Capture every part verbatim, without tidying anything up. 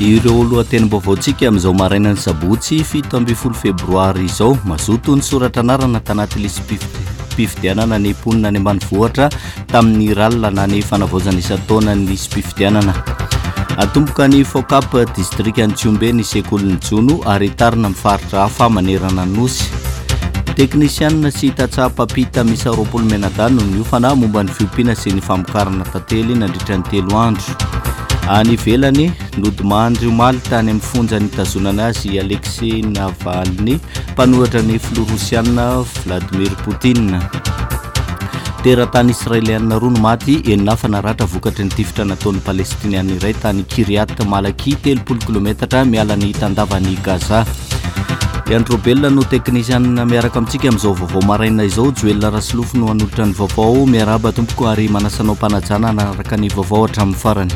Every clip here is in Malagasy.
Ireo lohatenim-baovaontsika amin'izao marainan'ny sabotsy fito ambin'ny folo febroary izao. Mazoto ny soratra anarana tanaty lisi-pifidianana ny mponina any ambanivohitra tamin'ny R A L na ny fanavaozana isan-taona ny lisi-pifidianana. Atomboka ny FOCAP distrikan'i Tsihombe ny sekolin'ny jono ary tarina amin'ny faritra hafa manerana ny nosy. Teknisianina sy tantsaha mpampita miisa roapolo mianadahy no niofana momba ny fiompiana sy ny famokarana tantely nandritra ny telo andro. Any ivelany, nodimandry omaly tany amin'ny fonja nitazonana azy Alexei Navalny, mpanohitra ny filoha rosianina Vladimir Poutine. Teratany israelianina roa no maty, enina hafa naratra vokatry ny tifitra nataon'ny palestiniana iray tany Kiryat Malaki, telopolo kilometatra miala ny tandavan'i Gaza. Androbelona no teknisianina miaraka amintsika amin'izao vaovao maraina izao. Joelina Rasolofo no hanolotra ny vaovao. Miarahaba tompoko ary manasa anao am-panajana hanaraka ny vaovao hatramin'ny farany.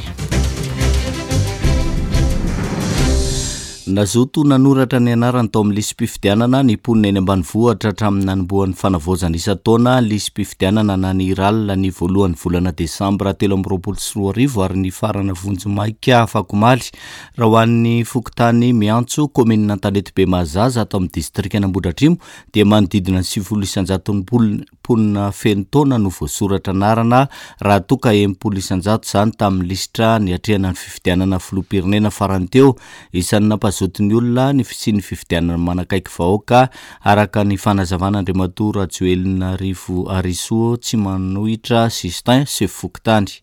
Nazoto nanoratra ny anarany tao amin'ny lisi-pifidianana ny mponina eny ambanivohitra hatramin'ny nanombohan'ny fanavaozana isan-taona lisi-pifidianana na ny R A L ny voalohan'ny volana desambra telo amby roapolo sy roa arivo ary ny farana vonjimaika afakomaly. Raha ho an'ny fokontany Miantso, kaominina Antanetibe Mahazaza, ato amin'ny distrikan'Ambohidratrimo, dia manodidina ny sivifolo isan-jaton'ny mponina feno taona no voasoratra anarana, raha toa ka enimpolo isan-jato izany tamin'ny lisitra niatrehana ny fifidianana filoham-pirenena farany teo. Isan'ny nampazoto ny olona ny fisian'ny fifidianana manakaiky vahoaka, araka ny fanazavana Andriamatoa Rajoelina Rivo Arisoa tsy manohitra Justin, sefo fokontany.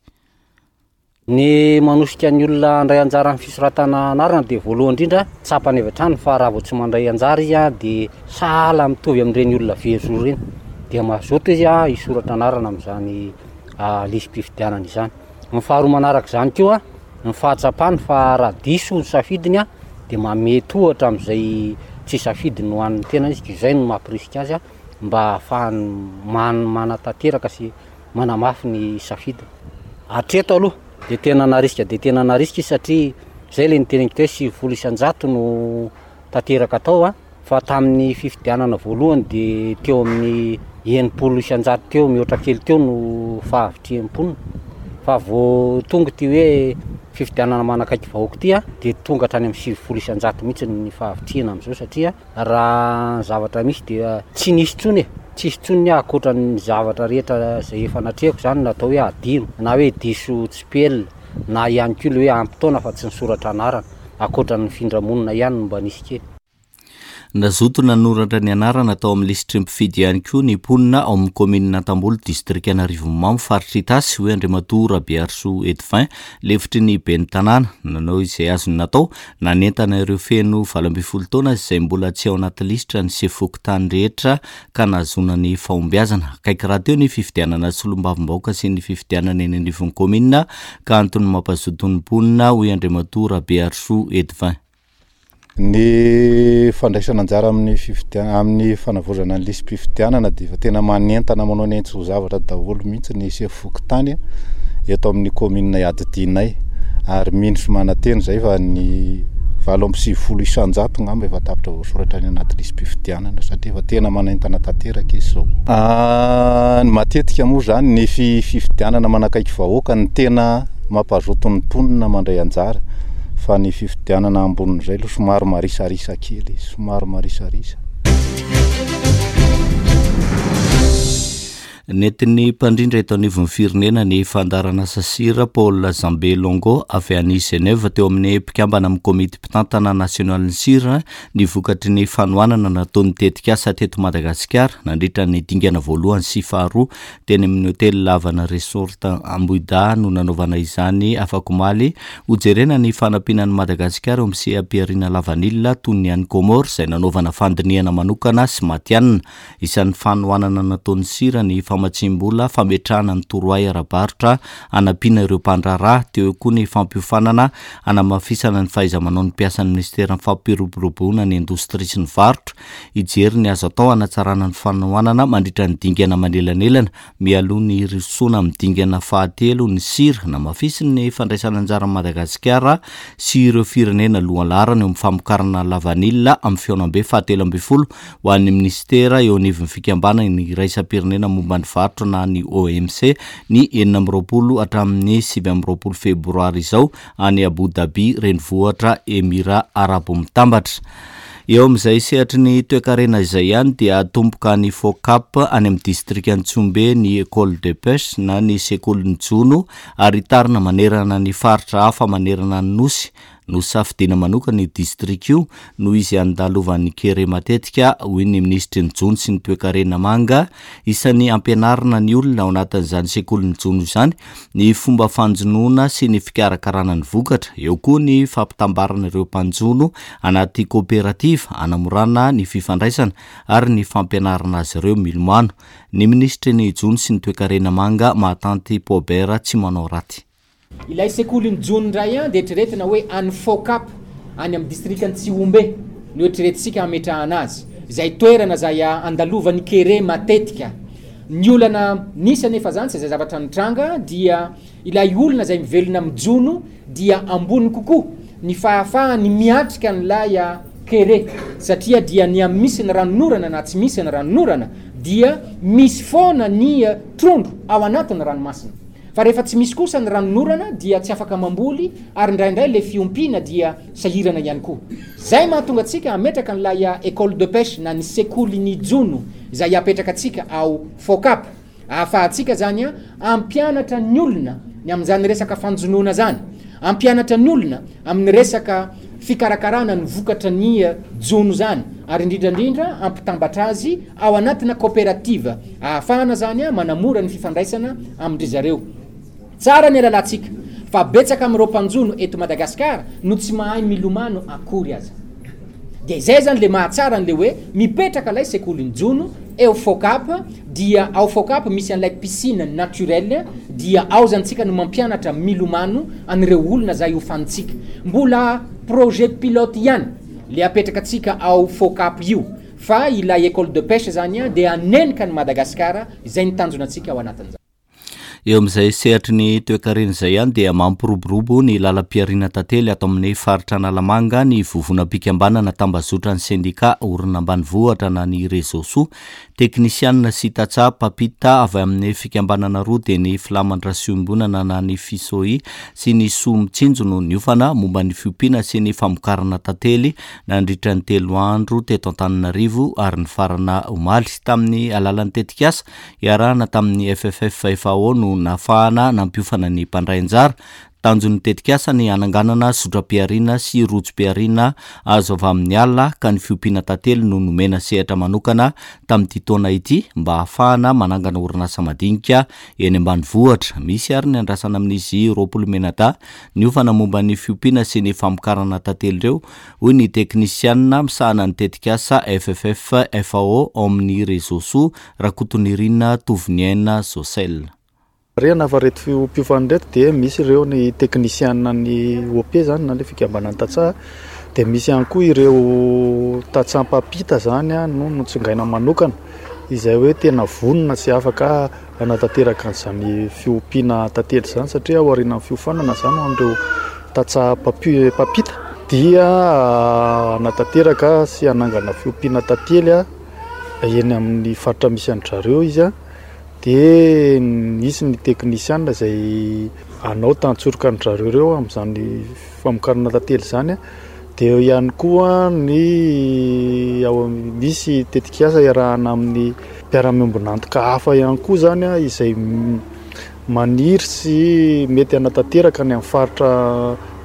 Ny manosika ny olona handray anjara amin'ny fisoratana anarana dia voalohany indrindra tsapany avy hatrany fa raha vao tsy mandray anjara izy a dia sahala mitovy amin'ireny olona very zo ireny, dia mazoto izy a hisoratra anarana amin'izany lisi-pifidianana izany. Ny faharoa manaraka izany koa, ny fahatsapany fa raha diso ny safidiny a dia mamety ohatra amin'izay tsy safidiny ho an'ny tena izy, izay no mampirisika azy a mba ahafahany man- manatanteraka sy manamafy ny safidiny. Hatreto aloha dia tena narisika dia tena narisika izy, satria zay le niteneniko teo hoe sivifolo isan-jato no tanteraka tao a fa tamin'ny fifidianana voalohany dia teo amin'ny enimpolo isan-jato teo mihoatra kely teo no fahavitrihan'ny mponina, fa vao tonga ty hoe fifidianana manakaiky vahoaka ty a dia tonga hatrany amin'ny sivifolo isan-jato mihitsy ny fahavitrihana amin'izao, satria raha ny zavatra misy dia tsy nisy intsony e, tsisy intsony ny ankoatra ny zavatra rehetra zay efa natrehako zany natao hoe adino na hoe diso tsipelina na ihany koa le hoe ampy taona fa tsy nisoratra anarana, ankoatra ny fifindramonina ihany no mba nisy kely. Nazoto nanoratra ny anarana tao amin'ny lisitry ny mpifidy ihany koa ny mponina ao amin'ny kaominina Antamboly, distrikan'Arivonimamo, faritra Itasy, hoy Andriamatoa Rabearisoa Edvin, lefitry ny ben'ny tanàna. Nanao izay azony natao nanentana ireo feno valo ambin'ny folo taona izay mbola tsy ao anaty lisitra ny sefo fokontany rehetra ka nahazoana ny fahombiazana. Akaiky rahateo ny fifidianana solombavambahoaka sy ny fifidianana eny anivon'ny kaominina ka antony mampazoto ny mponina, hoy Andriamatoa Rabearisoa Edvin. Ny fandraisana anjara amin'ny fifidianana, amin'ny fanavaozana ny lisi-pifidianana, dia efa tena manentana, manao ny antso zavatra daholo mihitsy ny sefo fokontany eto amin'ny kaominina iadidianay, ary mino sy manantena zay fa ny valo amby sivifolo isan-jato ngamba efa tapitra voasoratra any anaty lisi-pifidianana, satria efa tena manentana tanteraka izy zao. Ny matetika moa zany ny fifidianana manakaiky vahoaka ny tena mampazoto ny mponina mandray anjara, fa ny fifidianana ambonin'izay aloha somary marisarisa kely, somary marisarisa. Nentin'ny mpandrindra eto anivon'ny firenena ny fandaharanasa SIRA, Paul Zambe Longo, avy any Genève, teo amin'ny mpikambana amin'ny komity mpitantana nasionalin'ny SIRA ny vokatry ny fanohanana nataon'ny tetikasa teto Madagasikara nandritra ny dingana voalohany sy faharoa. Teny amin'ny hotely Lavana Resort Ambohidahy no nanaovana izany afakomaly. Hojerena ny fanampiana ny Madagasikara eo amin'ny seha-pihariana lavanila toy ny any Comore izay nanaovana fandinihana manokana sy matihanina. Isan'ny fanohanana nataon'ny SIRA ny famatsim-bola fametrahana ny torohay ara-barotra hanampiana ireo mpandraharaha, teo koa ny fampiofanana hanamafisana ny fahaiza-manao ny mpiasan'ny ministeran'ny fampiroboroboana ny indostria sy ny varotra, hijery ny azo atao hanatsarana ny fanohanana mandritra ny dingana manelanelana mialoha ny hirosoana amin'ny dingana fahatelo ny SIRA. Namafisy ny fandraisana anjara Madagasikara sy ireo firenena lohalaharana eo amin'ny famokarana lavanila amin'ny fihaonambe fahatelo ambin'ny folo ho an'ny ministera eo anivon'ny fikambanana ny iraisam-pirenena momba ny varotra na ny O M C ny enina amby roapolo hatramin'ny sivy amby roapolo febroary izao any Abu Dhabi, renivohitra Emira Arabo Mitambatra. Eo amin'izay sehatry ny toekarena izay ihany dia atomboka ny FOCAP any amin'ny distrikan'i Tsihombe ny école de pêche na ny sekolin'ny jono ary hitarina manerana ny faritra hafa manerana ny nosy. Nosafidiana manokana io distrika io noho izy andalovan'ny kere matetika, hoy ny minisitry ny jono sy ny toekarena manga. Isan'ny ampianarina ny olona ao anatin'izany sekolin'ny jono izany ny fomba fanjonoana sy ny fikarakarana ny vokatra. Eo koa ny fampitambarana ireo mpanjono anaty kooperativa hanamorana ny fifandraisana ary ny fampianarana azy ireo milomano. Ny minisitry ny jono sy ny toekarena manga Mahatanty Paubert tsy manao raty. Ilay sekolin'ny jono indray an dia eritreretina hoe any FOCAP any amin'ny distrikan'i Tsihombe no eritreretintsika hametrahana azy, izay toerana izay andalovan'ny kere matetika. Ny olana nisy anefa zany sy izay zavatra nitranga dia ilay olona izay mivelona amin'ny jono dia ambony kokoa ny fahafahany miatrika an'ilay kere, satria dia ny amin'ny misy ny ranonorana na tsy misy ny ranonorana dia misy foana ny trondro ao anatin'ny ranomasina. Fa rehefa tsy misy kosa ny ranonorana dia tsy afaka mamboly ary indraindray le fiompiana dia sahirana ihany koa. Zay mahatonga antsika hametraka an'ilay école de pêche na ny sekolin'ny jono izay apetraka antsika ao FOCAP, ahafahantsika zany a ampianatra ny olona ny amin'izany resaka fanjonoana zany, ampianatra ny olona amin'ny resaka fikarakarana ny vokatra ny jono zany, ary indrindrandrindra ampitambatra azy ao anatina coopérative ahafahana zany a manamora ny fifandraisana amin-dry zareo. Tsara ny alalantsika fa betsaka amin'ireo mpanjono eto Madagasikara no tsy mahay milomano akory aza. Dia izay zany le mahatsara an'le hoe mipetraka ilay sekolin'ny jono eo FOCAP, dia ao FOCAP misy an'ilay piscine naturelle, dia ao zany tsika no mampianatra milomano an'ireo olona zay hofanintsika. Mbola projet pilote ihany le apetraka antsika ao FOCAP io, fa ilay école de pêche zany a dia hanenika ny Madagasikara izay ny tanjona antsika ao anatin'izany. Eo amin'izay sehatry ny toekarena izay ihany dia mampiroborobo ny lalam-pihariana tantely ato amin'ny faritra Analamanga ny vovonam-pikambanana tambazotra ny sendika orina ambanivohitra na ny Réseau Soa. Teknisianina sy tantsaha mpampita avy amin'ny fikambanana roa dia ny Filamatra Siombonana na ny Fisoi sy ny Soa Mitsinjo no niofana momba ny fiompiana sy ny famokarana tantely nandritra ny telo andro teto Antananarivo ary nifarana omaly tamin'ny alalan'ny tetikasa iarahana tamin'ny F F F F A O no nahafahana nampiofana ny mpandray anjara. Tanjon'ny tetikasa ny hananganana zotram-pihariana sy rojom-pihariana azo avy amin'ny ala ka ny fiompiana tantely no nomena sehatra manokana tamin'ity taona ity mba hahafahana manangana orinasa madinika eny ambanivohitra. Misy ary ny andrasana amin'izy roapolo menada niofana momba ny fiompiana sy ny famokarana tantely ireo, hoy ny teknisianina misahana ny tetikasa F F F F A O ao amin'ny Réseau Soa, Rakotonirina Tovoniaina Josel. Rena fa reto mpiofana reto dia misy ireo ny teknisianina ny O P zany na le fikambanana tantsaha, dia misy ihany koa ireo tantsaha mpampita zany a no notsingaina manokana izay hoe tena vonona sy afaka hanatanteraka an'izany fiompiana tantely izany, satria ao aorian'ny fiofanana zany ho an'ireo tantsaha mpampi-, mpampita dia hanatanteraka sy hanangana fiompiana tantely a eny amin'ny faritra misy an-dry zareo izy a. Dia nisy ny teknisianina izay hanao tantsoroka an-dry zareo ireo amin'izany famokarana tantely izany a. Dia eo ihany koa ny ao amin'ny misy tetikasa iarahana amin'ny mpiara-miombon'antoka hafa ihany koa zany a, izay m-, maniry sy mety hanatanteraka any amin'ny faritra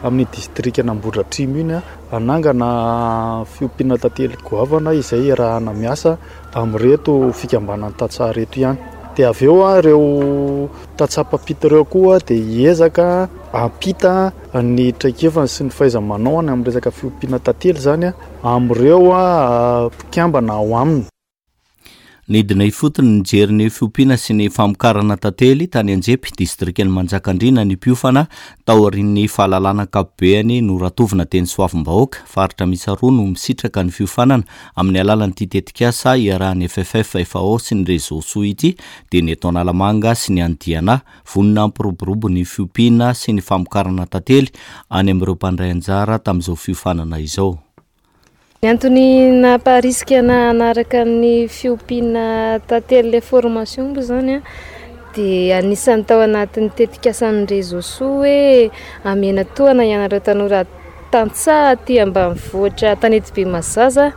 amin'ny distrikan'Ambohidratrimo iny a, hanangana fiompiana tantely goavana izay iarahana miasa amin'ireto fikambanana tantsaha ireto ihany. Dia avy eo a, ireo tantsaha mpampita ireo koa dia hiezaka hampita ny traikefany sy ny fahaiza-manao any amin'ny resaka fiompiana tantely zany a, amin'ireo a mpikambana ao aminy. Nidina ifotony nijery ny fiompiana sy ny famokarana tantely tany Anjepy, distrikan'i Manjakandriana ny mpiofana taorian'ny fahalalana ankapobeany noratovina teny Soavimbahoaka. Faritra miisa roa no misitraka ny fiofanana amin'ny alalan'ity tetikasa iarahan'ny F F F F A O sy ny Réseau Soa ity, dia ny eto Analamanga sy ny any Diana. Vonona hampiroborobo ny fiompiana sy ny famokarana tantely any amin'ireo mpandray anjara tamin'izao fiofanana izao. Ny antony namparisika na hanaraka ny fiompiana tantely ilay formation moa izany dia anisan'ny tao anatin'ny tetikasan'ny Réseau Soa hoe amena tohana ianareo tanora tantsaha aty ambanivohitra Tanetibe Mazaza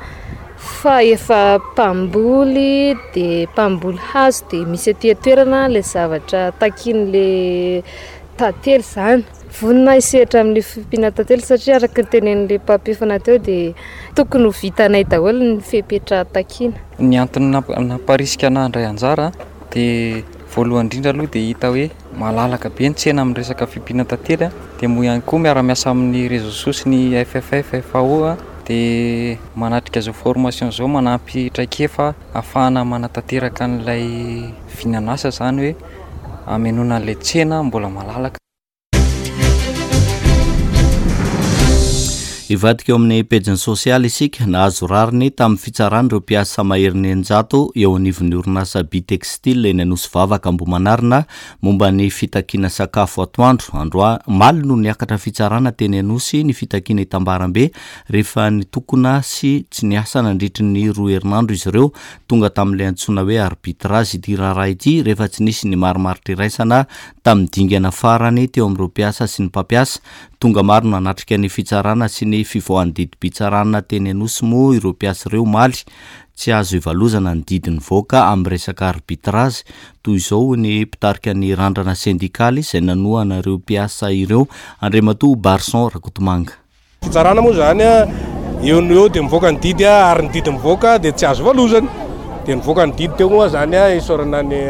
fa efa mpamboly dia mpamboly hazo dia misy aty an-toerana ilay zavatra takian'ilay tantely izany. Vonona hisehatra amin'ny fiompiana tantely satria araka ny tenenin'ilay mpampiofana teo dia tokony ho vitanay daholo ny fepetra takiana. Ny antony namparisika anahy handray anjara dia voalohany indrindra aloha dia hita hoe malalaka be ny tsena amin'ny resaka fiompiana tantely, dia moa ihany koa miara-miasa amin'ny Réseau Soa sy ny F F F F A O dia manatrika izao formation izao manampy traikefa ahafahana manatanteraka an'ilay vinan'asa izany hoe hamenoana an'ilay tsena mbola malalaka. Hivadika eo amin'ny pejiny sosialy isika. Nahazo rariny tamin'ny fitsarana ireo mpiasa maherin'ny eninjato eo anivon'ny orinasa Bitextile eny Anosivavaka Ambohimanarina momba ny fitakiana sakafo atoandro. Androa omaly no niakatra fitsarana teny Anosy ny fitakiana hitambarambe rehefa nitokona sy tsy niasa nandritry ny roa herinandro izy ireo. Tonga tamin'ilay antsoina hoe arbitrage ity raharaha ity rehefa tsy nisy ny marimaritra iraisana tamin'ny dingana farany teo amin'ireo mpiasa sy ny mpampiasa. Tonga maro nanatrika ny fitsarana sy ny fivoahan'ny didim-pitsarana teny Anosy moa ireo mpiasa ireo omaly. Tsy azo ivalozana ny didy nivoaka amin'ny resaka arbitrage. Toy izao ny mpitarika ny randrana sendikaly izay nanohana ireo mpiasa ireo, Andriamatoa Barson Rakotomanga. Fitsarana moa zany eo no eo dia mivoaka ny didy, ary ny didy mivoaka dia tsy azo valozana. Dia nivoaka ny didy teo moa zany isaorana ny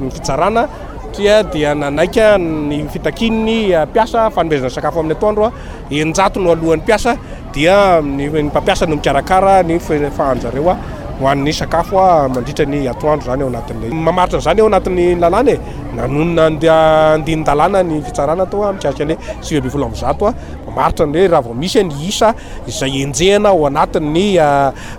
fitsarana satria dia nanaika ny fitakian'ny mpiasa fanomezana sakafo amin'ny atoandro. Eninjato no alohan'ny mpiasa dia ny mpampiasa no mikarakara ny fahanjareo ho an'ny sakafo mandritra ny atoandro zany ao anatin'ilay mamaritra an'izany ao anatin'ny lalàna e. Nanonona andinin-dalàna ny fitsarana tao mikasika ny sivy ambin'ny folo amby zato mamaritra ny hoe raha vao misy ny isa izay enjehina ao anatin'ny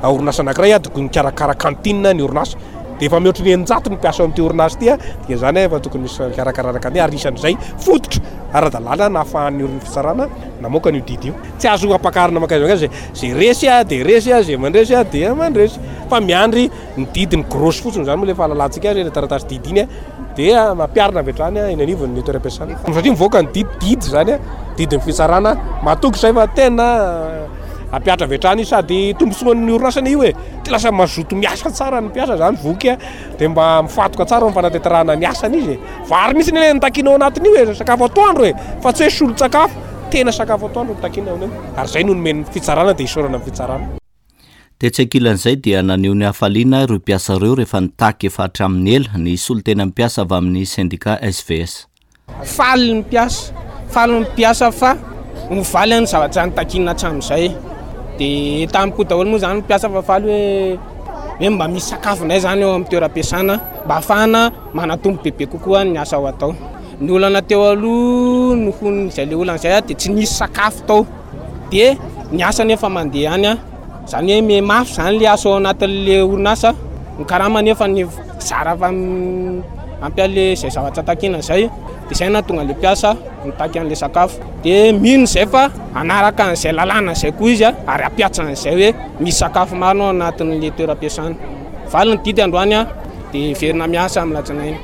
orinasa anankiray dia mikarakara kantina ny orinasa. Dia efa mihoatra ny eninjato ny mpiasa ao amin'ity orinasa ity, dia izany efa tokony misy fikarakarana kantina ary isan'izay fototra ara-dalàna nahafahan'ny orin'ny fitsarana namoaka an'io didy io. Tsy azo ampakarina mankaiza mankaiza, izay resy dia resy, izay mandresy dia mandresy, fa miandry ny didy ny grosse fotsiny izany moa ilay fahalalantsika azy, ilay taratasy didy iny dia mampiarina avy hatrany eny anivon'ny toeram-piasana. Satria mivoaka ny didy, didy izany, didin'ny fitsarana, matoky izay fa tena ampiatra avy hatrany sady tombontsoan'ny orinasana io e. Tsy lasa mazoto miasa tsara ny mpiasa zany voky dia mba mifatoka tsara amin'ny fanatanterahana ny asany izy e. Vary mihitsy ny nitakiana ao anatin'io e, sakafo atoandro e, fa tsy hoe solon-tsakafo, tena sakafo atoandro nitakiana ao amin'io. Ary izay no nomen'ny fitsarana dia isaorana amin'ny fitsarana. Tetsy ankilan'izay dia naneho ny hafaliana ireo mpiasa ireo rehefa nitaky efa hatramin'ny ela ny solontenan'ny mpiasa avy amin'ny sendika S V S. Faly ny mpiasa, faly ny mpiasa fa mivaly ny zavatra nitakiana hatramin'izay. Dia tamiko daholo moa zany mpiasa fa faly hoe hoe mba misy sakafo indray zany eo amin'ny toeram-piasana mba ahafahana manatombo bebe kokoa ny asa ho atao. Ny olana teo aloha noho izay le olana izay dia tsy nisy sakafo tao. Dia ny asa nefa mandeha any, zany hoe mihamafy zany le asa ao anatin'le orinasa, ny karama nefa ny zara fa ampiale izay zavatra takiana izay. Dia izay nahatonga le mpiasa mitaky an'le sakafo. Dia mino izay fa hanaraka an'izay lalàna izay koa izy ary hampiatra an'izay hoe misy sakafo maro ao anatin'le toeram-piasana. Valy ny didy androany dia hiverina miasa amin'ny alatsinainy.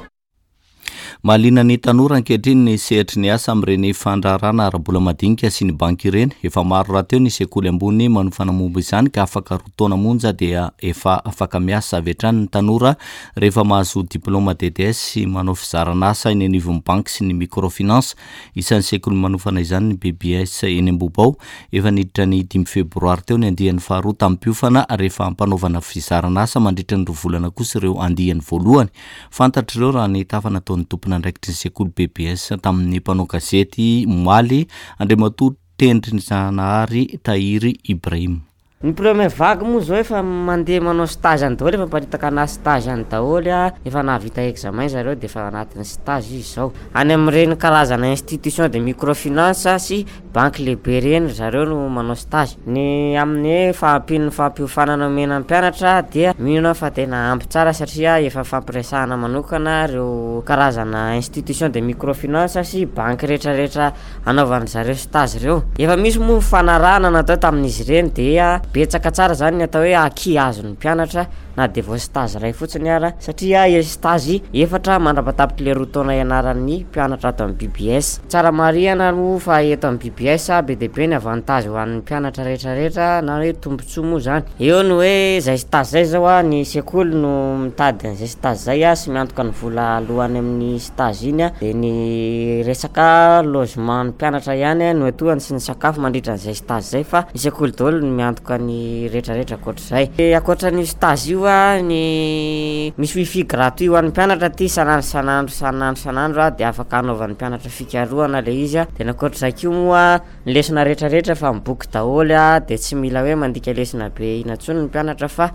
Mahaliana ny tanora ankehitriny ny sehatry ny asa amin'ireny fandraharahana ara-bola madinika sy ny banky ireny. Efa maro rahateo ny sekoly ambony manofana momba izany ka afaka roa taona monja dia efa afaka miasa avy hatrany ny tanora rehefa mahazo diplôma D D S sy manao fizarana asa eny anivon'ny banky sy ny microfinance. Isan'ny sekoly manofana izany ny B B S eny Ambohibao. Efa niditra ny dimy febroary teo ny andiany faharoa tamin'ny mpiofana rehefa ampanaovana fizarana asa mandritra ny roa volana kosa ireo andiany voalohany. Fantatr'ireo raha ny tafa nataon'ny tompon'andraikitry ny sekoly B B S tamin'ny mpanao gazety omaly, Andriamatoa Tendrinjanahary Tahiry Ibrahim. Ny première vague moa zao efa mandeha manao stage any daholo, efa miparitaka anaty stage any daholo, efa nahavita examen zareo dia efa anatin'ny stage izy zao. Any amin'ireny karazana institution de microfinance sy banky lehibe ireny ry zareo no manao stage. Ny amin'ny hoe fahampian'ny fampiofanana omena ny mpianatra dia mino aho fa tena ampy tsara satria efa fampiresahana manokana ireo karazana institution de microfinance sy banky rehetrarehetra anaovan'ny zareo stage ireo. Efa misy moa ny fanarahana natao tamin'izy ireny dia betsaka tsara zany ny atao hoe acquis azon'ny mpianatra na dia vao stage iray fotsiny ara satria stage efatra mandra-patapitry le roa taona ianaran'ny mpianatra ato amin'ny B B S. Tsara marihana moa fa eto amin'ny B B S be dia be ny avantage ho an'ny mpianatra rehetrarehetra na hoe tombontsoa moa zany. Eo ny hoe zay stage zay zao a, ny sekoly no mitady an'izay stage zay a sy miantoka ny vola alohany amin'ny stage iny a, de ny resaka logement ny mpianatra ihany no atohany sy ny sakafo mandritra an'izay stage zay, fa ny sekoly daholo no miantoka ny rehetrarehetra ankoatr'izay. Ankoatran'io stage io a, ny misy wifi gratuit ho an'ny mpianatra ty isan'andro isan'andro isan'andro isan'andro a, de afaka anaovan'ny mpianatra fikarohana le izy a. De ankoatr'izay koa moa, ny lesona rehetrarehetra fa miboky daholo a, de tsy mila hoe mandika lesona be ina intsony ny mpianatra fa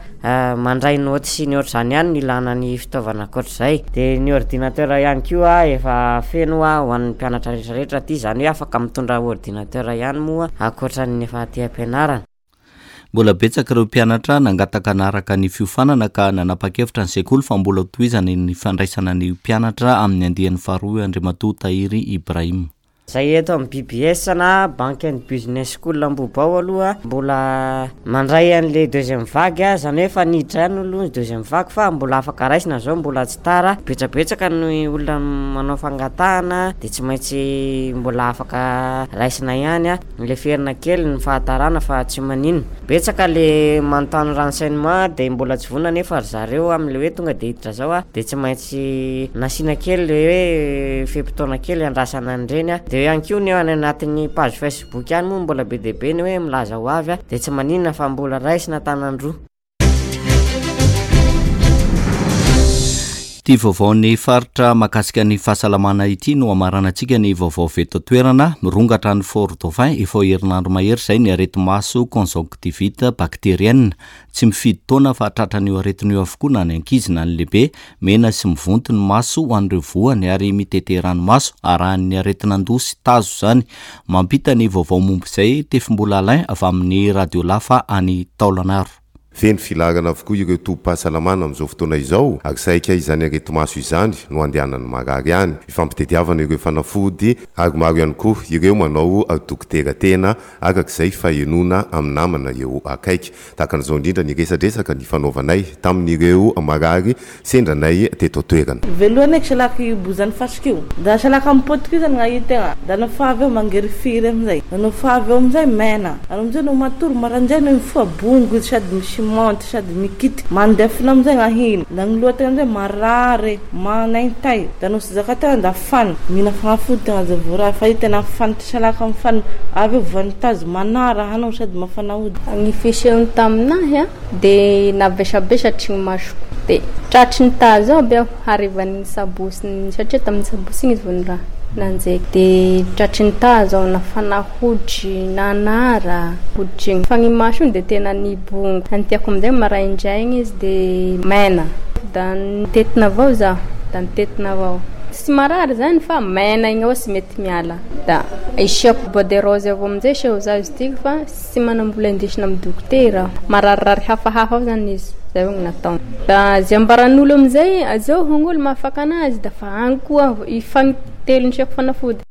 mandray noty sy ny ohatr'izany ihany ny ilana ny fitaovana. Ankoatr'izay de ny ordinateur ihany koa efa feno a ho an'ny mpianatra rehetrarehetra aty, zany hoe afaka mitondra ordinateur ihany moa ankoatran'ny efa aty am-pianarana. Mbola betsaka ireo mpianatra nangataka anaraka ny fiofanana ka nanapa-kevitra ny sekoly fa mbola tohizana ny fandraisana ny mpianatra amin'ny andian'ny faharoa, Andriamatoa Tahiry Ibrahim. Zay eto amin'ny B B S na Bank and Business School Ambohibao aloha mbola mandray an'le deuxième vague a, zany hoe efa niditra ihany aloha ny deuxième vague fa mbola afaka raisina zao, mbola tsy tara. Betsabetsaka ny olona manao fangatahana de tsy maintsy mbola afaka raisina ihany a, leferina kely ny fahatarana fa tsy maninona. Betsaka le manontany renseignement de mbola tsy vonona nefa ry zareo am'le hoe tonga de hiditra zao a, de tsy maintsy nasiana kely le hoe fe-potoana kely andrasana an'ireny a. De ihany koa ny any anatin'ny page Facebook ihany moa mbola be dia be ny hoe milaza ho avy a, de tsy maninona fa mbola raisina tanan-droa. Ty vaovaon'ny faritra mahakasika ny fahasalamana ity no amaranantsika ny vaovao veto toerana. Mirongatra ny Fort Dauphin efa herinandro mahery izay ny areti-maso conjonctivite bactérienne. Tsy mifidy taona fa tratran'io aretina io avokoa na ny ankizy na ny lehibe. Mena sy mivonto ny maso ho an'ireo voany ary mitete ranomaso, arahan'ny aretin'andoha sy tazo zany. Mampita ny vaovao momba izay Tefimbola Alain avy amin'ny Radio Lafa any Taolanaro. Feno filaharana avokoa ireo tobim-pahasalamana amin'izao fotoana izao ary saika izany areti-maso izany no andehanany marary any ifampitediavana ireo fanafody, ary maro ihany koa ireo manao dokotera tena arak'izay fahenona amin'ny namana eo akaiky. Tahaka an'izao indrindra ny resadresaka ny fanaovanay tamin'ireo marary sendranay teto toerana. Voalohany eky salaky bozany fasika io, da salaka mipotiky io zany gn'ahitegna, da nofa avy eo mangirifiry amizay, da nofa avy eo amizay mena, ary amizay no matory maraindray no mifoha bongo izy sady misy monty sady mikitiky mandefina amizay gn'ahiny, da gny lohategna amizay marary manaintay, da no sy zakategna da fany mihina fagnafody tegna zay vao raha fa io tena fantatra salaka amy fany avy eo voan'ny manara anao sady mafana hody. Ny fisehony taminahy a de navesabesatry ny masoko, de tratry ny tazo aby aho harivan'ny sabosy, satria tamin'ny sabosy igny izy vao ny raha nanjeky, de tratry ny tazo aho, nafana hoditry, nanara hoditry igny, fa ny maso iny de tena nibongo. Antiako amizay maraindraigny izy de mena, da nitetina avao zaho, da nitetina avao, tsy marary zany fa mena igny avao tsy mety miala, da isiako bois de rose avao amizay seho za izy tiky fa tsy manam-bola indesina amin'ny dokotera, mararirary hafahafa ao zany izy zay avao natao. Da zay ambaran'olo amizay azao hogn'olo mahafaka anazy, da fa agny koa ifagnitelony isiako fanafody.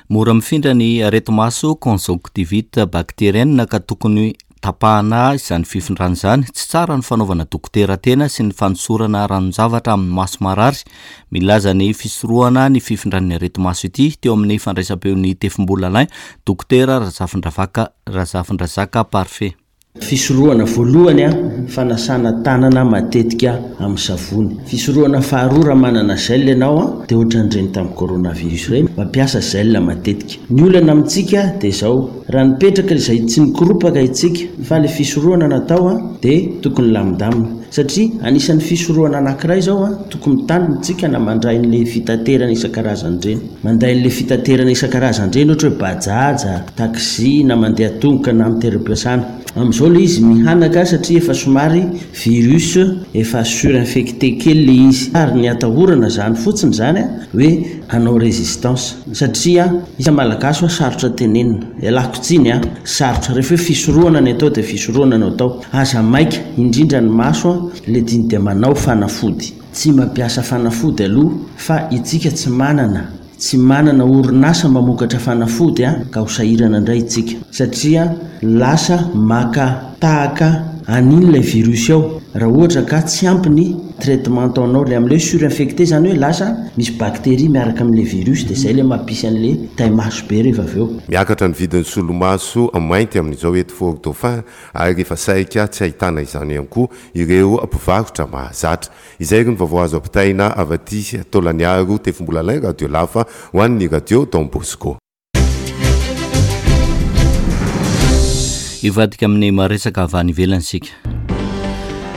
Mora mifindra ny areti-maso conjonctivite bactérienne ka tokony tapahana izany fifindrana izany. Tsy tsara ny fanaovana dokotera tena sy ny fanosorana ranon-javatra amin'ny maso marary. Milaza ny fisorohana ny fifindran'ny areti-maso ity teo amin'ny fandraisam-peon'ny Tefimbola Alain, dokotera Razafindravaka Razafindrazaka Parfait. Fisorohana voalohany a, fanasana tanana matetika amin'ny savony. Fisorohana faharoa, raha manana gel ianao a, dia ohatran'ireny tamin'ny coronavirus ireny, mampiasa gel matetika. Ny olana amintsika dia zao, raha nipetraka izay tsy nikoropaka itsika fa le fisorohana natao a, dia tokony lamindamina, satria anisan'ny fisorohana anankiray zao a, tokony mitandrina tsika na mandray n'le fitaterana isan-karazany ireny, manday n'le fitaterana isan-karazany ireny, ohatra hoe bajaja, taxi, na mandeha tongotra na amin'ny toeram-piasana. Amin'izao le izy mihanaka satria efa somary virus efa surinfecté kely le izy, ary ny atahorana zany fotsiny zany a hoe hanao résistance satria isa malagasy hoa sarotra tenenina, ialako tsiny a, sarotra rehefa hoe fisorohana ny atao dia fisorohana no atao. Aza maika, indrindra ny maso a, le diny dia manao fanafody. Tsy mampiasa fanafody aloha fa itsika tsy manana tsy manana orinasa mamokatra fanafody a, ka ho sahirana indray itsika satria lasa maka tahaka an'iny ilay virus ao raha ohatra ka tsy ampy ny traitement ataonao, le amin'ilay surinfecté zany hoe lasa misy bactérie miaraka amin'ilay virus, dia zay le mampisy an'le taimaso be rehefa avy eo. Miakatra ny vidin'ny solomaso mainty amin'izao eto Fort Dauphin ary efa saika tsy ahitana izany ihany koa ireo mpivarotra mahazatra. Izay ry ny vaovao azo ampitaina avy aty Taolagnaro, Tefimbola Radio Lafa ho an'ny Radio Don Bosco. Hivadika amin'ny maresaka avy any ivelany isika.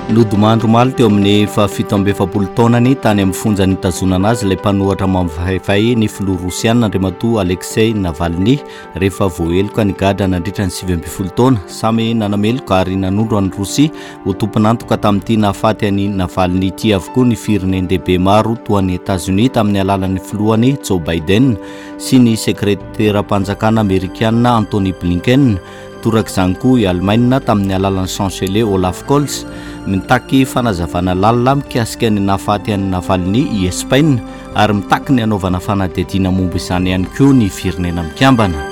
Nodimandry omaly teo amin'ny fahafito amby efapolo taonany tany amin'ny fonja nitazonana azy ilay mpanohatra mampahaifay ny filoha rosiana Andriamatoa Alexei Navalny rehefa voaheloka nigadra nandritra ny sivy ambin'ny folo taona. Samy nanameloka ary nanondro an'i Rosia ho tompon'antoka tamin'ity nahafaty an'i Navalny ity avokoa ny firenen-dehibe maro toa an'i Etazonia tamin'ny alalan'ny filohany Joe Biden sy ny sekreteram-panjakana amerikana Antony Blinken. Torak'izany koa i Alemaina tamin'ny alalan'ny chancelier Olaf Scholz. Mitaky fanazavana lalina mikasika ny nahafaty an'i Navalny i Espaina ary mitaky ny hanaovana fanadihadiana momba izany ihany koa ny firenena mikambana.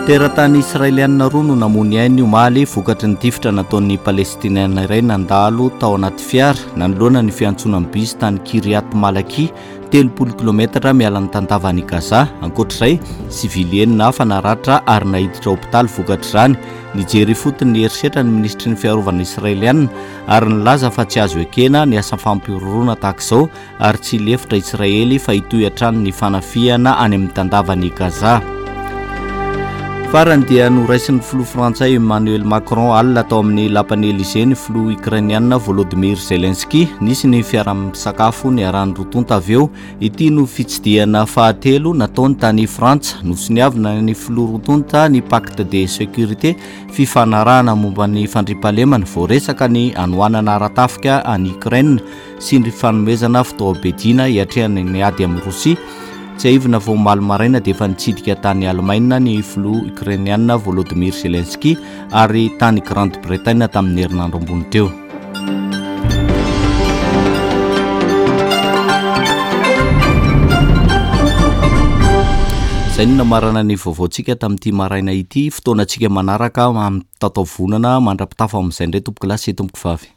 Teratany israelianina roa no namoy ainy omaly vokatry ny tifitra nataon'ny palestiniana iray nandalo tao anaty fiara nanoloana ny fiantsonan'ny bisy tany Kiryat Malaki, telopolo kilometatra miala ny tantavan'i Gaza. Ankoatr'izay, sivily enina hafa naratra ary naiditra hopitaly vokatr'izany. Nijery ifotony ny herisetra ny minisitry ny fiarovana israelianina ary nilaza fa tsy azo ekena ny asa fampihorohoroana tahaka izao ary tsy lefitra Israely fa hitohy hatrany ny fanafihana any amin'ny tandavan'i Gaza. Farany dia noraisin'ny filoha frantsay Emmanuel Macron alina tao amin'ny lapan'i Élysée ny filoha ukrainiana Volodymyr Zelensky. Nisy ny fiaraha-misakafo niarahan'ny roa tonta avy eo. Ity no fitsidihana fahatelo nataony tany Frantsa. Nosoniavina ny filoha roa tonta ny pacte de sécurité, fifanarahana momba ny fandriampahalemana, voaresaka ny hanoanana ara-tafika any Ukraine sy ny fanomezana fitaovam-piadiana hiatrehana ny ady amin'ny Rosia. Tsiahivina fa omaly maraina dia efa nitsidika tany Alemaina ny filoha ukrainiana Volodymyr Zelensky ary tany Grande-Bretagne tamin'ny herinandro ambony teo. Izay no namarana ny vaovaontsika tamin'ity maraina ity. Fotoanantsika manaraka amin'ny tataovonana mandra-pitafa amin'izay indray tompoko lahy sy tompoko vavy.